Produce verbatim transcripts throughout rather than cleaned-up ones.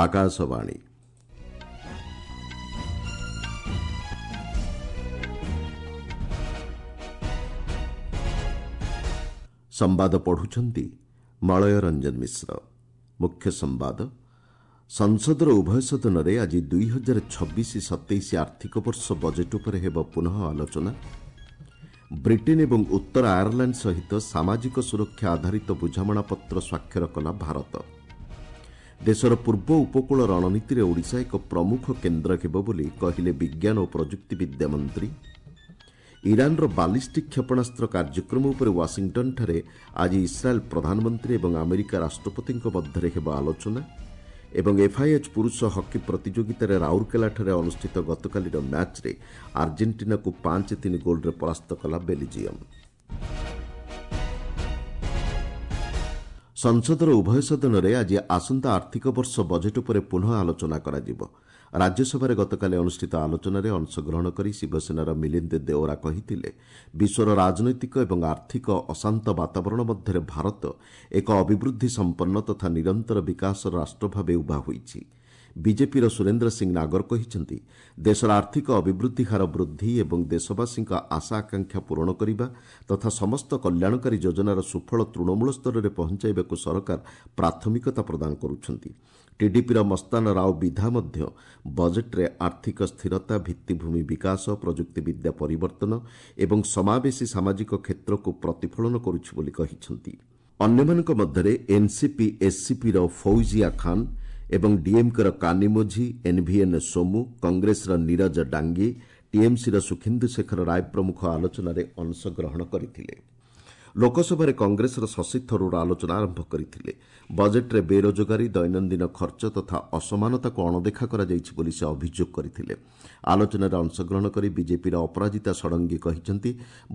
ଆକାଶବାଣୀ। ସମ୍ବାଦ ପଢୁଛନ୍ତି ମଳୟ ରଞ୍ଜନ ମିଶ୍ର। ମୁଖ୍ୟ ସମ୍ବାଦ। ସଂସଦର ଉଭୟ ସଦନରେ ଆଜି ଦୁଇ ହଜାର ଛବିଶ ସତେଇଶ ଆର୍ଥିକ ବର୍ଷ ବଜେଟ୍ ଉପରେ ହେବ ପୁନଃ ଆଲୋଚନା। ବ୍ରିଟେନ୍ ଏବଂ ଉତ୍ତର ଆୟାରଲାଣ୍ଡ ସହିତ ସାମାଜିକ ସୁରକ୍ଷା ଆଧାରିତ ବୁଝାମଣାପତ୍ର ସ୍ୱାକ୍ଷର କଲା ଭାରତ। ଦେଶର ପୂର୍ବ ଉପକୂଳ ରଣନୀତିରେ ଓଡ଼ିଶା ଏକ ପ୍ରମୁଖ କେନ୍ଦ୍ର ହେବ ବୋଲି କହିଲେ ବିଜ୍ଞାନ ଓ ପ୍ରଯୁକ୍ତିବିଦ୍ୟା ମନ୍ତ୍ରୀ। ଇରାନର ବାଲିଷ୍ଟିକ୍ କ୍ଷେପଣାସ୍ତ୍ର କାର୍ଯ୍ୟକ୍ରମ ଉପରେ ୱାଶିଂଟନ୍ଠାରେ ଆଜି ଇସ୍ରାଏଲ୍ ପ୍ରଧାନମନ୍ତ୍ରୀ ଏବଂ ଆମେରିକା ରାଷ୍ଟ୍ରପତିଙ୍କ ମଧ୍ୟରେ ହେବ ଆଲୋଚନା। ଏବଂ ଏଫ୍ଆଇଏଚ୍ ପୁରୁଷ ହକି ପ୍ରତିଯୋଗିତାରେ ରାଉରକେଲାଠାରେ ଅନୁଷ୍ଠିତ ଗତକାଲିର ମ୍ୟାଚ୍ରେ ଆର୍ଜେଣ୍ଟିନାକୁ ପାଞ୍ଚ ତିନି ଗୋଲ୍ରେ ପରାସ୍ତ କଲା ବେଲ୍ଜିୟମ୍। ସଂସଦର ଉଭୟ ସଦନରେ ଆଜି ଆସନ୍ତା ଆର୍ଥିକ ବର୍ଷ ବଜେଟ୍ ଉପରେ ପୁନଃ ଆଲୋଚନା କରାଯିବ। ରାଜ୍ୟସଭାରେ ଗତକାଲି ଅନୁଷ୍ଠିତ ଆଲୋଚନାରେ ଅଂଶଗ୍ରହଣ କରି ଶିବସେନାର ମିଲିନ୍ଦ ଦେଓରା କହିଥିଲେ, ବିଶ୍ୱର ରାଜନୈତିକ ଏବଂ ଆର୍ଥିକ ଅଶାନ୍ତ ବାତାବରଣ ମଧ୍ୟରେ ଭାରତ ଏକ ଅଭିବୃଦ୍ଧି ସମ୍ପନ୍ନ ତଥା ନିରନ୍ତର ବିକାଶର ରାଷ୍ଟ୍ର ଭାବେ ଉଭା ହୋଇଛି। ବିଜେପିର ସୁରେନ୍ଦ୍ର ସିଂ ନାଗର କହିଛନ୍ତି, ଦେଶର ଆର୍ଥିକ ଅଭିବୃଦ୍ଧି ହାର ବୃଦ୍ଧି ଏବଂ ଦେଶବାସୀଙ୍କ ଆଶା ଆକାଂକ୍ଷା ପୂରଣ କରିବା ତଥା ସମସ୍ତ କଲ୍ୟାଣକାରୀ ଯୋଜନାର ସୁଫଳ ତୃଣମୂଳ ସ୍ତରରେ ପହଞ୍ଚାଇବାକୁ ସରକାର ପ୍ରାଥମିକତା ପ୍ରଦାନ କରୁଛନ୍ତି। ଟିଡିପିର ମସ୍ତାନ ରାଓ ବିଧା ମଧ୍ୟ ବଜେଟ୍ରେ ଆର୍ଥିକ ସ୍ଥିରତା, ଭିତ୍ତିଭୂମି ବିକାଶ, ପ୍ରଯୁକ୍ତିବିଦ୍ୟା ପରିବର୍ତ୍ତନ ଏବଂ ସମାବେଶୀ ସାମାଜିକ କ୍ଷେତ୍ରକୁ ପ୍ରତିଫଳନ କରୁଛି ବୋଲି କହିଛନ୍ତି। ଅନ୍ୟମାନଙ୍କ ମଧ୍ୟରେ ଏନ୍ସିପି ଏସ୍ସିପିର ଫୌଜିଆ ଖାନ୍ ଏବଂ ଡିଏମ୍କେର କାନିମୋଝି, ଏନ୍ଭିଏନ୍ ସୋମୁ, କଂଗ୍ରେସର ନୀରଜ ଡାଙ୍ଗି, ଟିଏମ୍ସିର ସୁଖେନ୍ଦୁ ଶେଖର ରାୟ ପ୍ରମୁଖ ଆଲୋଚନାରେ ଅଂଶଗ୍ରହଣ କରିଥିଲେ। ଲୋକସଭାରେ କଂଗ୍ରେସର ଶଶି ଥରୁର ଆଲୋଚନା ଆରମ୍ଭ କରିଥିଲେ। ବଜେଟ୍ରେ ବେରୋଜଗାରୀ, ଦୈନନ୍ଦିନ ଖର୍ଚ୍ଚ ତଥା ଅସମାନତାକୁ ଅଣଦେଖା କରାଯାଇଛି ବୋଲି ସେ ଅଭିଯୋଗ କରିଥିଲେ। ଆଲୋଚନାରେ ଅଂଶଗ୍ରହଣ କରି ବିଜେପିର ଅପରାଜିତା ଷଡ଼ଙ୍ଗୀ କହିଛନ୍ତି,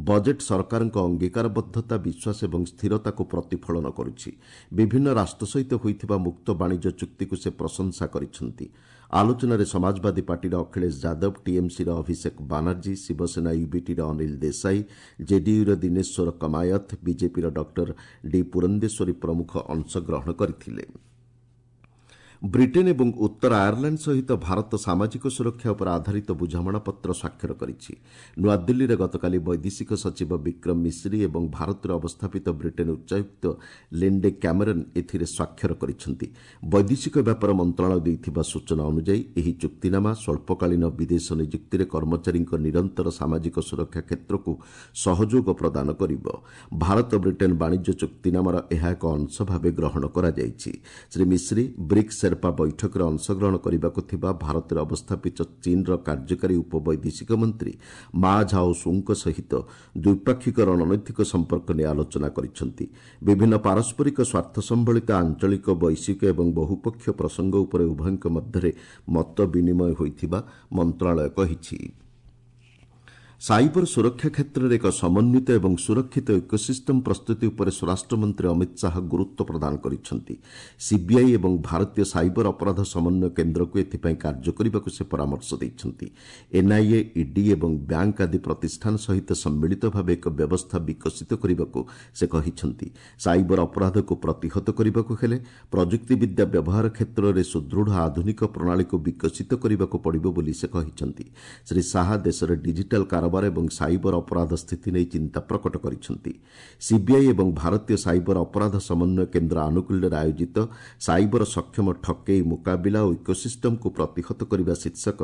ବଜେଟ୍ ସରକାରଙ୍କ ଅଙ୍ଗୀକାରବଦ୍ଧତା, ବିଶ୍ୱାସ ଏବଂ ସ୍ଥିରତାକୁ ପ୍ରତିଫଳନ କରୁଛି। ବିଭିନ୍ନ ରାଷ୍ଟ୍ର ସହିତ ହୋଇଥିବା ମୁକ୍ତ ବାଣିଜ୍ୟ ଚୁକ୍ତିକୁ ସେ ପ୍ରଶଂସା କରିଛନ୍ତି। ଆଲୋଚନାରେ ସମାଜବାଦୀ ପାର୍ଟିର ଅଖିଳେଶ ଯାଦବ, ଟିଏମ୍ସିର ଅଭିଷେକ ବାନାର୍ଜୀ, ଶିବସେନା ୟୁବିଟିର ଅନିଲ ଦେଶାଇ, ଜେଡିୟୁର ଦିନେଶ୍ୱର କମାୟତ, ବିଜେପିର ଡକ୍ଟର ଡି ପୁରନ୍ଦେଶ୍ୱରୀ ପ୍ରମୁଖ ଅଂଶଗ୍ରହଣ କରିଥିଲେ। ବ୍ରିଟେନ୍ ଏବଂ ଉତ୍ତର ଆୟାରଲାଣ୍ଡ ସହିତ ଭାରତ ସାମାଜିକ ସୁରକ୍ଷା ଉପରେ ଆଧାରିତ ବୁଝାମଣାପତ୍ର ସ୍ୱାକ୍ଷର କରିଛି। ନୂଆଦିଲ୍ଲୀରେ ଗତକାଲି ବୈଦେଶିକ ସଚିବ ବିକ୍ରମ ମିଶ୍ରି ଏବଂ ଭାରତରେ ଅବସ୍ଥାପିତ ବ୍ରିଟେନ୍ ଉଚ୍ଚାୟୁକ୍ତ ଲିଣ୍ଡେ କ୍ୟାମେରନ୍ ଏଥିରେ ସ୍ୱାକ୍ଷର କରିଛନ୍ତି। ବୈଦେଶିକ ବ୍ୟାପାର ମନ୍ତ୍ରଣାଳୟ ଦେଇଥିବା ସୂଚନା ଅନୁଯାୟୀ ଏହି ଚୁକ୍ତିନାମା ସ୍ୱଳ୍ପକାଳୀନ ବିଦେଶ ନିଯୁକ୍ତିରେ କର୍ମଚାରୀଙ୍କ ନିରନ୍ତର ସାମାଜିକ ସୁରକ୍ଷା କ୍ଷେତ୍ରକୁ ସହଯୋଗ ପ୍ରଦାନ କରିବ। ଭାରତ ବ୍ରିଟେନ୍ ବାଣିଜ୍ୟ ଚୁକ୍ତିନାମାର ଏହା ଏକ ଅଂଶ ଭାବେ ଗ୍ରହଣ କରାଯାଇଛି। ଶ୍ରୀ ମିଶ୍ରି ବ୍ରିକ୍ସ ସେର୍ପା ବୈଠକରେ ଅଂଶଗ୍ରହଣ କରିବାକୁ ଥିବା ଭାରତରେ ଅବସ୍ଥାପିତ ଚୀନ୍ର କାର୍ଯ୍ୟକାରୀ ଉପବୈଦେଶିକ ମନ୍ତ୍ରୀ ମା ଝାଓ ସୁଙ୍କ ସହିତ ଦ୍ୱିପାକ୍ଷିକ ରଣନୈତିକ ସମ୍ପର୍କ ନେଇ ଆଲୋଚନା କରିଛନ୍ତି। ବିଭିନ୍ନ ପାରସ୍ପରିକ ସ୍ୱାର୍ଥ ସମ୍ବଳିତ ଆଞ୍ଚଳିକ, ବୈଶ୍ୱିକ ଏବଂ ବହୁପକ୍ଷୀୟ ପ୍ରସଙ୍ଗ ଉପରେ ଉଭୟଙ୍କ ମଧ୍ୟରେ ମତ ବିନିମୟ ହୋଇଥିବା ମନ୍ତ୍ରଣାଳୟ କହିଛି। ସାଇବର ସୁରକ୍ଷା କ୍ଷେତ୍ରରେ ଏକ ସମନ୍ୱିତ ଏବଂ ସୁରକ୍ଷିତ ଇକୋସିଷ୍ଟମ୍ ପ୍ରସ୍ତୁତି ଉପରେ ସ୍ୱରାଷ୍ଟ୍ରମନ୍ତ୍ରୀ ଅମିତ ଶାହା ଗୁରୁତ୍ୱ ପ୍ରଦାନ କରିଛନ୍ତି। ସିବିଆଇ ଏବଂ ଭାରତୀୟ ସାଇବର ଅପରାଧ ସମନ୍ୱୟ କେନ୍ଦ୍ରକୁ ଏଥିପାଇଁ କାର୍ଯ୍ୟ କରିବାକୁ ସେ ପରାମର୍ଶ ଦେଇଛନ୍ତି। ଏନ୍ଆଇଏ, ଇଡି ଏବଂ ବ୍ୟାଙ୍କ ଆଦି ପ୍ରତିଷ୍ଠାନ ସହିତ ସମ୍ମିଳିତ ଭାବେ ଏକ ବ୍ୟବସ୍ଥା ବିକଶିତ କରିବାକୁ ସେ କହିଛନ୍ତି। ସାଇବର ଅପରାଧକୁ ପ୍ରତିହତ କରିବାକୁ ହେଲେ ପ୍ରଯୁକ୍ତିବିଦ୍ୟା ବ୍ୟବହାର କ୍ଷେତ୍ରରେ ସୁଦୃଢ଼ ଆଧୁନିକ ପ୍ରଣାଳୀକୁ ବିକଶିତ କରିବାକୁ ପଡ଼ିବ ବୋଲି ସେ କହିଛନ୍ତି। ଶ୍ରୀ ଶାହା ଦେଶରେ ଡିଜିଟାଲ୍ କାରବାର ଏବଂ ସାଇବର ଅପରାଧ ସ୍ଥିତି ନେଇ ଚିନ୍ତା ପ୍ରକଟ କରିଛନ୍ତି। ସିବିଆଇ ଏବଂ ଭାରତୀୟ ସାଇବର ଅପରାଧ ସମନ୍ୱୟ କେନ୍ଦ୍ର ଆନୁକୂଲ୍ୟରେ ଆୟୋଜିତ ସାଇବର ସକ୍ଷମ ଠକେଇ ମୁକାବିଲା ଓ ଇକୋସିଷ୍ଟମକୁ ପ୍ରତିହତ କରିବା ଶୀର୍ଷକ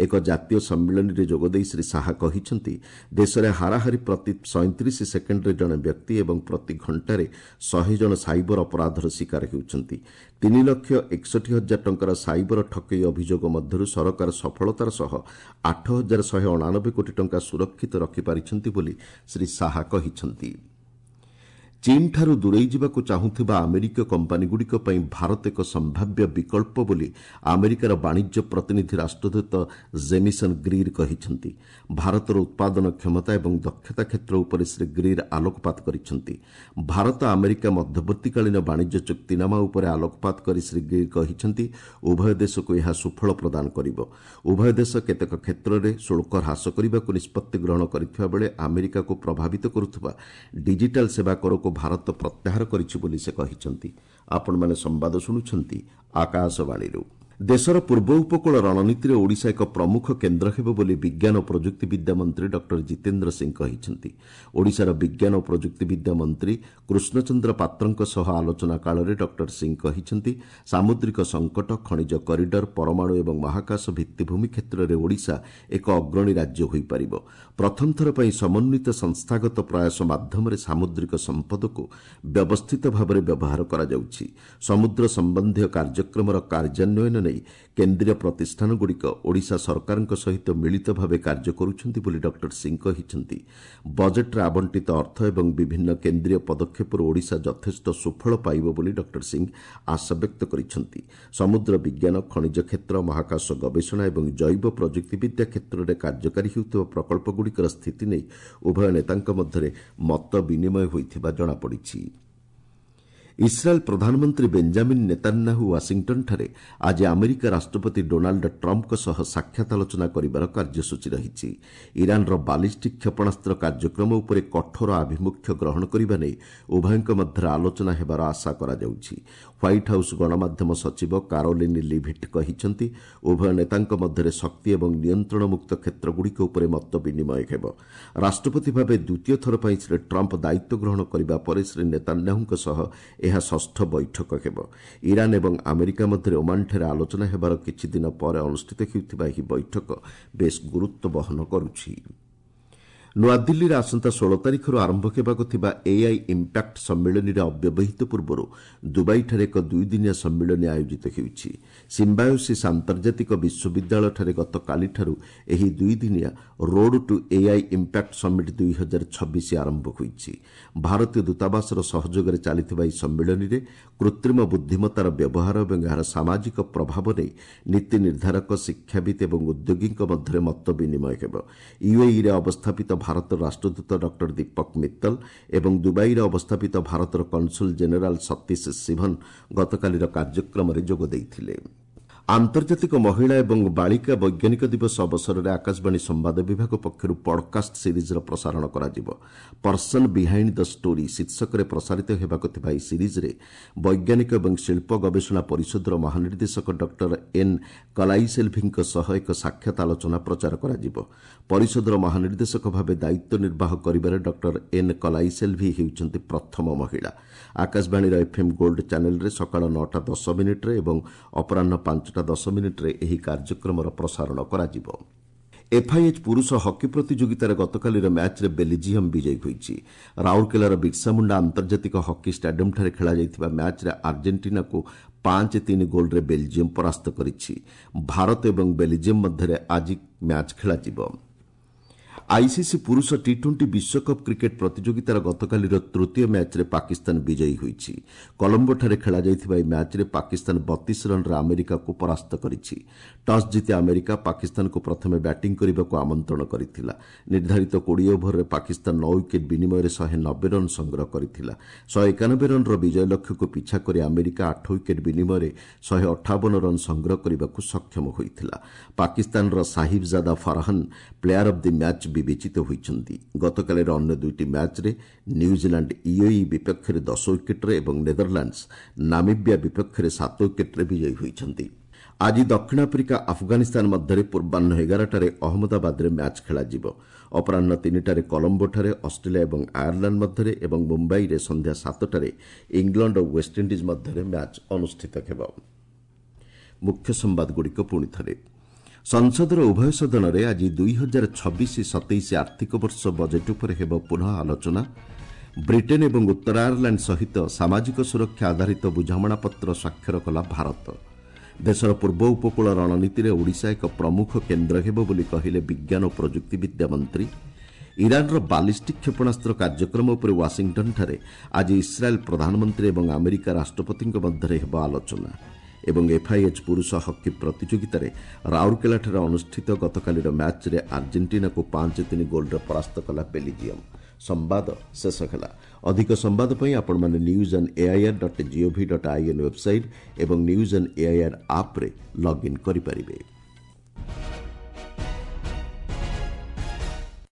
ଏକ ଜାତୀୟ ସମ୍ମିଳନୀରେ ଯୋଗଦେଇ ଶ୍ରୀ ଶାହା କହିଛନ୍ତି, ଦେଶରେ ହାରାହାରି ପ୍ରତି ସଇଁତିରିଶ ସେକେଣ୍ଡରେ ଜଣେ ବ୍ୟକ୍ତି ଏବଂ ପ୍ରତି ଘଣ୍ଟାରେ ଶହେ ଜଣ ସାଇବର ଅପରାଧର ଶିକାର ହେଉଛନ୍ତି। ତିନି ଲକ୍ଷ ଏକଷଠି ହଜାର ଟଙ୍କାର ସାଇବର ଠକେଇ ଅଭିଯୋଗ ମଧ୍ୟରୁ ସରକାର ସଫଳତାର ସହ ଆଠ ହଜାର ଶହେ ଅଣାନବେ କୋଟି ଟଙ୍କା ସୁରକ୍ଷିତ ରଖିପାରିଛନ୍ତି ବୋଲି ଶ୍ରୀ ଶାହା କହିଛନ୍ତି। ଚୀନ୍ଠାରୁ ଦୂରେଇ ଯିବାକୁ ଚାହୁଁଥିବା ଆମେରିକୀୟ କମ୍ପାନୀଗୁଡ଼ିକ ପାଇଁ ଭାରତ ଏକ ସମ୍ଭାବ୍ୟ ବିକଳ୍ପ ବୋଲି ଆମେରିକାର ବାଣିଜ୍ୟ ପ୍ରତିନିଧି ରାଷ୍ଟ୍ରଦୂତ ଜେମିସନ୍ ଗ୍ରୀର୍ କହିଛନ୍ତି। ଭାରତର ଉତ୍ପାଦନ କ୍ଷମତା ଏବଂ ଦକ୍ଷତା କ୍ଷେତ୍ର ଉପରେ ଶ୍ରୀ ଗ୍ରୀର୍ ଆଲୋକପାତ କରିଛନ୍ତି। ଭାରତ ଆମେରିକା ମଧ୍ୟବର୍ତ୍ତୀକାଳୀନ ବାଣିଜ୍ୟ ଚୁକ୍ତିନାମା ଉପରେ ଆଲୋକପାତ କରି ଶ୍ରୀ ଗ୍ରୀର୍ କହିଛନ୍ତି, ଉଭୟ ଦେଶକୁ ଏହା ସୁଫଳ ପ୍ରଦାନ କରିବ। ଉଭୟ ଦେଶ କେତେକ କ୍ଷେତ୍ରରେ ଶୁଳ୍କ ହ୍ରାସ କରିବାକୁ ନିଷ୍ପତ୍ତି ଗ୍ରହଣ କରିଥିବା ବେଳେ ଆମେରିକାକୁ ପ୍ରଭାବିତ କରୁଥିବା ଡିଜିଟାଲ୍ ସେବା କରକୁ ଭାରତ ପ୍ରତ୍ୟାହାର କରିଛି ବୋଲି ସେ କହିଛନ୍ତି। ଆପଣମାନେ ସମ୍ବାଦ ଶୁଣୁଛନ୍ତି ଆକାଶବାଣୀରୁ। ଦେଶର ପୂର୍ବ ଉପକୂଳ ରଣନୀତିରେ ଓଡ଼ିଶା ଏକ ପ୍ରମୁଖ କେନ୍ଦ୍ର ହେବ ବୋଲି ବିଜ୍ଞାନ ଓ ପ୍ରଯୁକ୍ତିବିଦ୍ୟା ମନ୍ତ୍ରୀ ଡକ୍ଟର ଜିତେନ୍ଦ୍ର ସିଂ କହିଛନ୍ତି। ଓଡ଼ିଶାର ବିଜ୍ଞାନ ଓ ପ୍ରଯୁକ୍ତିବିଦ୍ୟା ମନ୍ତ୍ରୀ କୃଷ୍ଣଚନ୍ଦ୍ର ପାତ୍ରଙ୍କ ସହ ଆଲୋଚନା କାଳରେ ଡକ୍ଟର ସିଂ କହିଛନ୍ତି, ସାମୁଦ୍ରିକ ସଙ୍କଟ, ଖଣିଜ କରିଡର, ପରମାଣୁ ଏବଂ ମହାକାଶ ଭିତ୍ତିଭୂମି କ୍ଷେତ୍ରରେ ଓଡ଼ିଶା ଏକ ଅଗ୍ରଣୀ ରାଜ୍ୟ ହୋଇପାରିବ। ପ୍ରଥମ ଥର ପାଇଁ ସମନ୍ୱିତ ସଂସ୍ଥାଗତ ପ୍ରୟାସ ମାଧ୍ୟମରେ ସାମୁଦ୍ରିକ ସମ୍ପଦକୁ ବ୍ୟବସ୍ଥିତ ଭାବରେ ବ୍ୟବହାର କରାଯାଉଛି। ସମୁଦ୍ର ସମ୍ବନ୍ଧୀୟ କାର୍ଯ୍ୟକ୍ରମର କାର୍ଯ୍ୟାନ୍ୱୟନ ନେଇ କେନ୍ଦ୍ରୀୟ ପ୍ରତିଷ୍ଠାନଗୁଡ଼ିକ ଓଡ଼ିଶା ସରକାରଙ୍କ ସହିତ ମିଳିତ ଭାବେ କାର୍ଯ୍ୟ କରୁଛନ୍ତି ବୋଲି ଡକ୍ଟର ସିଂ କହିଛନ୍ତି। ବଜେଟ୍ରେ ଆବଣ୍ଟିତ ଅର୍ଥ ଏବଂ ବିଭିନ୍ନ କେନ୍ଦ୍ରୀୟ ପଦକ୍ଷେପରୁ ଓଡ଼ିଶା ଯଥେଷ୍ଟ ସୁଫଳ ପାଇବ ବୋଲି ଡକ୍ଟର ସିଂ ଆଶାବ୍ୟକ୍ତ କରିଛନ୍ତି। ସମୁଦ୍ର ବିଜ୍ଞାନ, ଖଣିଜ କ୍ଷେତ୍ର, ମହାକାଶ ଗବେଷଣା ଏବଂ ଜୈବ ପ୍ରଯୁକ୍ତିବିଦ୍ୟା କ୍ଷେତ୍ରରେ କାର୍ଯ୍ୟକାରୀ ହେଉଥିବା ପ୍ରକଳ୍ପଗୁଡ଼ିକର ସ୍ଥିତି ନେଇ ଉଭୟ ନେତାଙ୍କ ମଧ୍ୟରେ ମତ ବିନିମୟ ହୋଇଥିବା ଜଣାପଡ଼ିଛି। ଇସ୍ରାଏଲ୍ ପ୍ରଧାନମନ୍ତ୍ରୀ ବେଞ୍ଜାମିନ୍ ନେତାନ୍ୟାହୁ ୱାଶିଂଟନ୍ଠାରେ ଆଜି ଆମେରିକା ରାଷ୍ଟ୍ରପତି ଡୋନାଲ୍ଡ ଟ୍ରମ୍ପଙ୍କ ସହ ସାକ୍ଷାତ ଆଲୋଚନା କରିବାର କାର୍ଯ୍ୟସୂଚୀ ରହିଛି। ଇରାନ୍ର ବାଲିଷ୍ଟିକ୍ କ୍ଷେପଣାସ୍ତ୍ର କାର୍ଯ୍ୟକ୍ରମ ଉପରେ କଠୋର ଆଭିମୁଖ୍ୟ ଗ୍ରହଣ କରିବା ନେଇ ଉଭୟଙ୍କ ମଧ୍ୟରେ ଆଲୋଚନା ହେବାର ଆଶା କରାଯାଉଛି। ହ୍ୱାଇଟ୍ ହାଉସ୍ ଗଣମାଧ୍ୟମ ସଚିବ କାରୋଲିନ୍ ଲିଭିଟ୍ କହିଛନ୍ତି, ଉଭୟ ନେତାଙ୍କ ମଧ୍ୟରେ ଶକ୍ତି ଏବଂ ନିୟନ୍ତ୍ରଣମୁକ୍ତ କ୍ଷେତ୍ରଗୁଡ଼ିକ ଉପରେ ମତ ବିନିମୟ ହେବ। ରାଷ୍ଟ୍ରପତି ଭାବେ ଦ୍ୱିତୀୟ ଥର ପାଇଁ ଶ୍ରୀ ଟ୍ରମ୍ପ ଦାୟିତ୍ୱ ଗ୍ରହଣ କରିବା ପରେ ଶ୍ରୀ ନେତାନ୍ୟାହୁଙ୍କ ସହ ଏହା ଷଷ୍ଠ ବୈଠକ ହେବ। ଇରାନ୍ ଏବଂ ଆମେରିକା ମଧ୍ୟରେ ଓମାନଠାରେ ଆଲୋଚନା ହେବାର କିଛି ଦିନ ପରେ ଅନୁଷ୍ଠିତ ହେଉଥିବା ଏହି ବୈଠକ ବେଶ୍ ଗୁରୁତ୍ୱ ବହନ କରୁଛି। ନୂଆଦିଲ୍ଲୀରେ ଆସନ୍ତା ଷୋହଳ ତାରିଖରୁ ଆରମ୍ଭ ହେବାକୁ ଥିବା ଏଆଇ ଇମ୍ପାକ୍ଟ ସମ୍ମିଳନୀର ଅବ୍ୟବହିତ ପୂର୍ବରୁ ଦୁବାଇଠାରେ ଏକ ଦୁଇଦିନିଆ ସମ୍ମିଳନୀ ଆୟୋଜିତ ହେଉଛି। ସିମ୍ବାୟୋସିସ୍ ଆନ୍ତର୍ଜାତିକ ବିଶ୍ୱବିଦ୍ୟାଳୟଠାରେ ଗତକାଲିଠାରୁ ଏହି ଦୁଇଦିନିଆ road to AI impact summit ଦୁଇ ହଜାର ଛବିଶ ଆରମ୍ଭ ହୋଇଛି। ଭାରତୀୟ ଦୂତାବାସର ସହଯୋଗରେ ଚାଲିଥିବା ଏହି ସମ୍ମିଳନୀରେ କୃତ୍ରିମ ବୁଦ୍ଧିମତ୍ତାର ବ୍ୟବହାର ଏବଂ ଏହାର ସାମାଜିକ ପ୍ରଭାବ ନେଇ ନୀତି ନିର୍ଦ୍ଧାରକ, ଶିକ୍ଷାବିତ୍ ଏବଂ ଉଦ୍ୟୋଗୀଙ୍କ ମଧ୍ୟରେ ମତ ବିନିମୟ ହେବ। ୟୁଏଇରେ ଅବସ୍ଥାପିତ ଭାରତର ରାଷ୍ଟ୍ରଦୂତ ଡକ୍ଟର ଦୀପକ ମିତ୍ତଲ ଏବଂ ଦୁବାଇରେ ଅବସ୍ଥାପିତ ଭାରତର କନସୁଲ ଜେନେରାଲ ସତୀଶ ଶିଭନ ଗତକାଲିର କାର୍ଯ୍ୟକ୍ରମରେ ଯୋଗ ଦେଇଥିଲେ। ଆନ୍ତର୍ଜାତିକ ମହିଳା ଏବଂ ବାଳିକା ବୈଜ୍ଞାନିକ ଦିବସ ଅବସରରେ ଆକାଶବାଣୀ ସମ୍ବାଦ ବିଭାଗ ପକ୍ଷରୁ ପଡ୍କାଷ୍ଟ ସିରିଜ୍ର ପ୍ରସାରଣ କରାଯିବ। ପର୍ସନ୍ ବିହାଇଣ୍ଡ the story ଶୀର୍ଷକରେ ପ୍ରସାରିତ ହେବାକୁ ଥିବା ଏହି ସିରିଜ୍ରେ ବୈଜ୍ଞାନିକ ଏବଂ ଶିଳ୍ପ ଗବେଷଣା ପରିଷଦର ମହାନିର୍ଦ୍ଦେଶକ ଡକ୍ଟର ଏନ୍ କଲାଇସେଲ୍ଭିଙ୍କ ସହ ଏକ ସାକ୍ଷାତ ଆଲୋଚନା ପ୍ରଚାର କରାଯିବ। ପରିଷଦର ମହାନିର୍ଦ୍ଦେଶକ ଭାବେ ଦାୟିତ୍ୱ ନିର୍ବାହ କରିବାରେ ଡକ୍ଟର ଏନ୍ କଲାଇସେଲ୍ଭି ହେଉଛନ୍ତି ପ୍ରଥମ ମହିଳା। ଆକାଶବାଣୀର ଏଫ୍ଏମ୍ ଗୋଲ୍ଡ ଚ୍ୟାନେଲ୍ରେ ସକାଳ ନଅଟା ଦଶ ମିନିଟ୍ରେ ଏବଂ ଅପରାହ୍ନ ପାଞ୍ଚଟା ଦଶ ମିନିଟ୍ରେ ଏହି କାର୍ଯ୍ୟକ୍ରମର ପ୍ରସାରଣ କରାଯିବ। ଏଫ୍ଆଇଏଚ୍ ପୁରୁଷ ହକି ପ୍ରତିଯୋଗିତାରେ ଗତକାଲିର ମ୍ୟାଚ୍ରେ ବେଲଜିୟମ୍ ବିଜୟୀ ହୋଇଛି। ରାଉରକେଲାର ବିର୍ସାମୁଣ୍ଡା ଆନ୍ତର୍ଜାତିକ ହକି ଷ୍ଟାଡିୟମ୍ଠାରେ ଖେଳାଯାଇଥିବା ମ୍ୟାଚ୍ରେ ଆର୍ଜେଣ୍ଟିନାକୁ ପାଞ୍ଚ ତିନି ଗୋଲ୍ରେ ବେଲଜିୟମ୍ ପରାସ୍ତ କରିଛି। ଭାରତ ଏବଂ ବେଲଜିୟମ୍ ମଧ୍ୟରେ ଆଜି ମ୍ୟାଚ୍ ଖେଳାଯିବ। ଆଇସିସି ପୁରୁଷ ଟି ଟ୍ୱେଣ୍ଟି ବିଶ୍ୱକପ୍ କ୍ରିକେଟ୍ ପ୍ରତିଯୋଗିତାର ଗତକାଲିର ତୃତୀୟ ମ୍ୟାଚ୍ରେ ପାକିସ୍ତାନ ବିଜୟୀ ହୋଇଛି। କଲମ୍ବୋଠାରେ ଖେଳାଯାଇଥିବା ଏହି ମ୍ୟାଚ୍ରେ ପାକିସ୍ତାନ ବତିଶ ରନ୍ରେ ଆମେରିକାକୁ ପରାସ୍ତ କରିଛି। ଟସ୍ ଜିତି ଆମେରିକା ପାକିସ୍ତାନକୁ ପ୍ରଥମେ ବ୍ୟାଟିଂ କରିବାକୁ ଆମନ୍ତ୍ରଣ କରିଥିଲା। ନିର୍ଦ୍ଧାରିତ କୋଡ଼ିଏ ଓଭରରେ ପାକିସ୍ତାନ ନଅ ୱିକେଟ୍ ବିନିମୟରେ ଶହେ ନବେ ରନ୍ ସଂଗ୍ରହ କରିଥିଲା। ଶହେ ଏକାନବେ ରନ୍ର ବିଜୟ ଲକ୍ଷ୍ୟକୁ ପିଛା କରି ଆମେରିକା ଆଠ ୱିକେଟ୍ ବିନିମୟରେ ଶହେ ଅଠାବନ ରନ୍ ସଂଗ୍ରହ କରିବାକୁ ସକ୍ଷମ ହୋଇଥିଲା। ପାକିସ୍ତାନର Sahibzada Farhan player of the match ବିବେଚିତ ହୋଇଛନ୍ତି। ଗତକାଲିର ଅନ୍ୟ ଦୁଇଟି ମ୍ୟାଚ୍ରେ ନ୍ୟୁଜିଲାଣ୍ଡ ୟୁଏଇ ବିପକ୍ଷରେ ଦଶ ୱିକେଟ୍ରେ ଏବଂ ନେଦରଲାଣ୍ଡସ୍ ନାମିବିଆ ବିପକ୍ଷରେ ସାତ ୱିକେଟ୍ରେ ବିଜୟୀ ହୋଇଛନ୍ତି। ଆଜି ଦକ୍ଷିଣ ଆଫ୍ରିକା ଆଫଗାନିସ୍ତାନ ମଧ୍ୟରେ ପୂର୍ବାହ୍ନ ଏଗାରଟାରେ ଅହମ୍ମଦାବାଦରେ ମ୍ୟାଚ୍ ଖେଳାଯିବ। ଅପରାହ୍ନ ତିନିଟାରେ କଲମ୍ବୋଠାରେ ଅଷ୍ଟ୍ରେଲିଆ ଏବଂ ଆୟାରଲାଣ୍ଡ ମଧ୍ୟରେ ଏବଂ ମୁମ୍ବାଇରେ ସନ୍ଧ୍ୟା ସାତଟାରେ ଇଂଲଣ୍ଡ ଓ ୱେଷ୍ଟଇଣ୍ଡିଜ୍ ମଧ୍ୟରେ ମ୍ୟାଚ୍ ଅନୁଷ୍ଠିତ ହେବ। ମୁଖ୍ୟ ସମ୍ବାଦଗୁଡ଼ିକ ପୁଣି ଥରେ। ସଂସଦର ଉଭୟ ସଦନରେ ଆଜି ଦୁଇ ହଜାର ଛବିଶ ସତେଇଶ ଆର୍ଥିକ ବର୍ଷ ବଜେଟ୍ ଉପରେ ହେବ ପୁନଃ ଆଲୋଚନା। ବ୍ରିଟେନ୍ ଏବଂ ଉତ୍ତର ଆୟାରଲାଣ୍ଡ ସହିତ ସାମାଜିକ ସୁରକ୍ଷା ଆଧାରିତ ବୁଝାମଣାପତ୍ର ସ୍ୱାକ୍ଷର କଲା ଭାରତ। ଦେଶର ପୂର୍ବ ଉପକୂଳ ରଣନୀତିରେ ଓଡ଼ିଶା ଏକ ପ୍ରମୁଖ କେନ୍ଦ୍ର ହେବ ବୋଲି କହିଲେ ବିଜ୍ଞାନ ଓ ପ୍ରଯୁକ୍ତିବିଦ୍ୟା ମନ୍ତ୍ରୀ। ଇରାନ୍ର ବାଲିଷ୍ଟିକ୍ କ୍ଷେପଣାସ୍ତ୍ର କାର୍ଯ୍ୟକ୍ରମ ଉପରେ ୱାଶିଂଟନ୍ଠାରେ ଆଜି ଇସ୍ରାଏଲ୍ ପ୍ରଧାନମନ୍ତ୍ରୀ ଏବଂ ଆମେରିକା ରାଷ୍ଟ୍ରପତିଙ୍କ ମଧ୍ୟରେ ହେବ ଆଲୋଚନା। ଏବଂ ଏଫ୍ଆଇଏଚ୍ ପୁରୁଷ ହକି ପ୍ରତିଯୋଗିତାରେ ରାଉରକେଲାଠାରେ ଅନୁଷ୍ଠିତ ଗତକାଲିର ମ୍ୟାଚ୍ରେ ଆର୍ଜେଣ୍ଟିନାକୁ ପାଞ୍ଚ ତିନି ଗୋଲ୍ରେ ପରାସ୍ତ କଲା ବେଲିଜିୟମ୍। ସମ୍ବାଦ ଶେଷ ହେଲା। ଅଧିକ ସମ୍ବାଦ ପାଇଁ ଆପଣମାନେ news on AIR dot gov dot in website ଏବଂ ନ୍ୟୁଜ୍ ଅନ୍ ଏଆଇଆର୍ ଆପ୍ରେ ଲଗ୍ଇନ୍ କରିପାରିବେ।